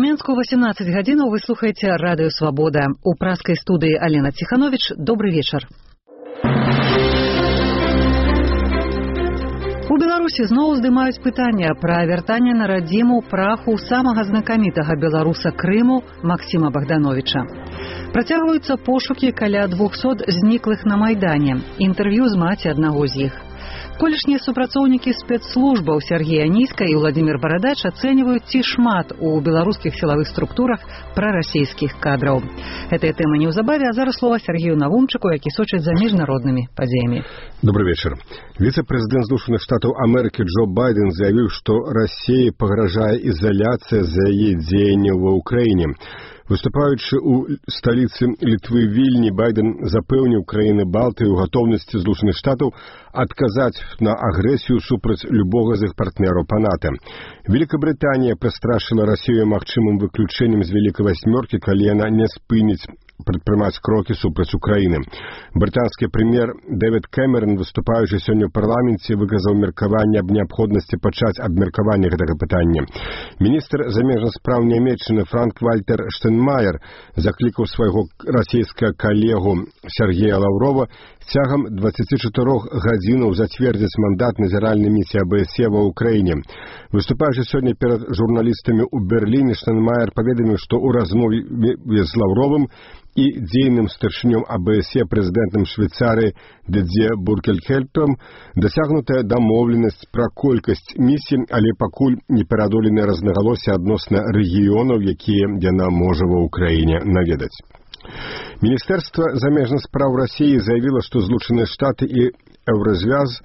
У Мінску 18 гадзінаў вы слухаеце радыё «Свабода». У праскай студыі Алена Ціхановіч. Добры вечар. У Беларусі зноў здымаюць пытанне пра вяртанне на радзіму праху самага знакамітага беларуса Крыму Максіма Богдановича. Працягваюцца пошукі каля 200 зніклых на Майдане. Інтэрв'ю з маці аднаго з іх. Колішнія супрацоўнікі спецслужбаў Сергей Аніська і Владимир Барадач ацэньваюць, ці шмат у беларускіх сілавых структурах прарасійскіх кадраў. Гэтая тэма неўзабаве, а зараз слова Сергею Навумчыку, які сочыць за міжнароднымі падзеямі. Добрый вечер. Віцэ-прэзідэнт Злучаных Штатаў Амерыкі Джо Байден заявіў, што Расіі пагражае ізаляцыя за яе дзеянняў ва ўкраіне. Выступаючы ў сталіцы Літвы Вільні, Байден запэўніў краіны Балтыі ў гатоўнасці Злучаных Штатаў адказаць на агрэсію супраць любога з іх партнераў па НАТО. Великабрытанія прастрашыла Расію магчымым выключэннем з Вялікай Васьмёркі, калі яна не спыніць прадпрымаць крокі супраць Украіны. Брытанскі прэм'ер Дэвід Кэмерон, выступаючы сёння ў парламенце, выказаў меркаванне аб неабходнасці пачаць абмеркаванне гэтага пытання. Міністр замежных спраў Нямецчыны Франк-Вальтер Штайнмаер заклікаў свайго расійскага калегу Сергея Лаўрова цягам 24 гадзінаў зацвердзіць мандат назіральнай місіі АБСЕ ва ўкраіне. Выступаючы сёння перад журналістамі ў Берліне, Штайнмаер паведаміў, што ў размове з Лаўровым і дзейным старшынём АБСЕ прэзідэнтам Швейцарыі Дідзье Буркельхельтом дасягнутая дамоўленасць пра колькасць місій, але пакуль не пераадоленыя рознагалоссі адносна рэгіёнаў, якія яна можа ва ўкраіне наведаць. Міністэрства замежных спраў Расіі заявіла, што Злучаныя Штаты і Еўразвяз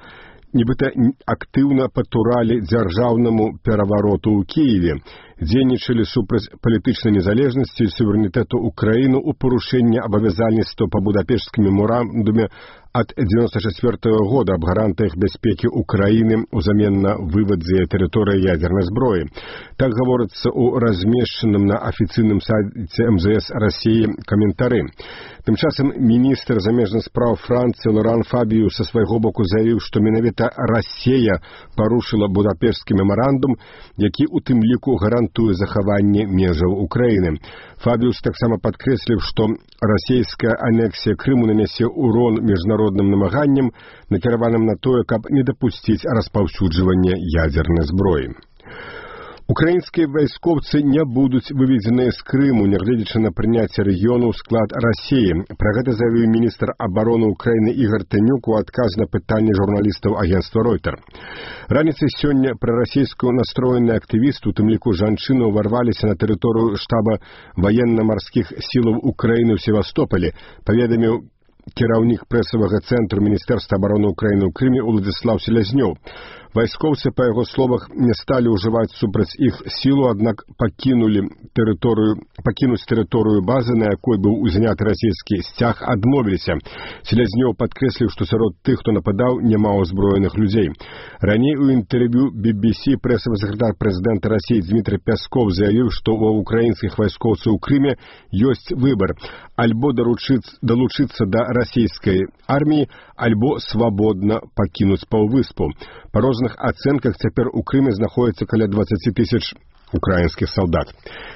нібыта актыўна патуралі дзяржаўнаму перавароту ў Кіеве, дзейнічалі супраць палітычнай незалежнасці і суверэнітэту Украіны ў парушэнні абавязальніцтва па Будапешцкім мемарандуме ад 1994 года аб гарантыях бяспекі Украіны ўзамен на вывад з яе тэрыторыі ядзернай зброі. Так гаворыцца ў размешчаным на афіцыйным сайце МЗС Расіі каментары. Тым часам міністр замежных спраў Францыі Лоран Фабію са свайго боку заявіў, што менавіта Расія парушыла Будапешцкі мемарандум, які у тым ліку гарантуе захаванне межаў Украіны. Фабіус таксама падкрэсліў, што расійская анексія Крыму нанясе урон міжнародным намаганням, накіраваным на тое, каб не дапусціць распаўсюджвання ядзернай зброі. Украінскія вайскоўцы не будуць выведзеныя з Крыму, нягледзячы на прыняцце рэгіёну ў склад Расіі. Пра гэта заявіў міністр абароны Украіны Ігар Танюк у адказ на пытанне журналістаў агенцтва Ройтер. Раніцай сёння прарасійскую настроеныя актывісты, у тым ліку жанчыны, ўварваліся на тэрыторыю штаба ваенна-марскіх сілаў Украіны ў Севастополі, паведаміў кіраўнік прэсавага цэнтру Міністэрства абароны Украіны ў Крыме Уладзіслаў Селязнёў. Вайскоўцы, па яго словах, не сталі ўжываць супраць іх сілу, аднак пакінуць тэрыторыю базы, на якой быў узняты расійскі сцяг, адмовіліся. Селязнёў падкрэсліў, што сярод тых, хто нападаў, няма ўзброеных людзей. Раней у інтэрв'ю BBC прэсавы сакратар прэзідэнта Расіі Дмітрий Пясков заявіў, што ва ўкраінскіх вайскоўцаў у Крыме ёсць выбар: альбо далучыцца да расійскай арміі, альбо свабодна пакінуць паўвыспу. Па розных ацэнках цяпер у Крыме знаходзіцца каля 20 тысяч украінскіх салдат.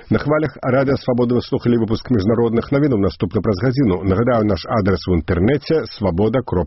На хвалях радыё «Свабода» вы слухалі выпуск міжнародных навінаў. Наступны праз гадзіну. Нагадаю, наш адрес у інтэрнэце свабода.ру.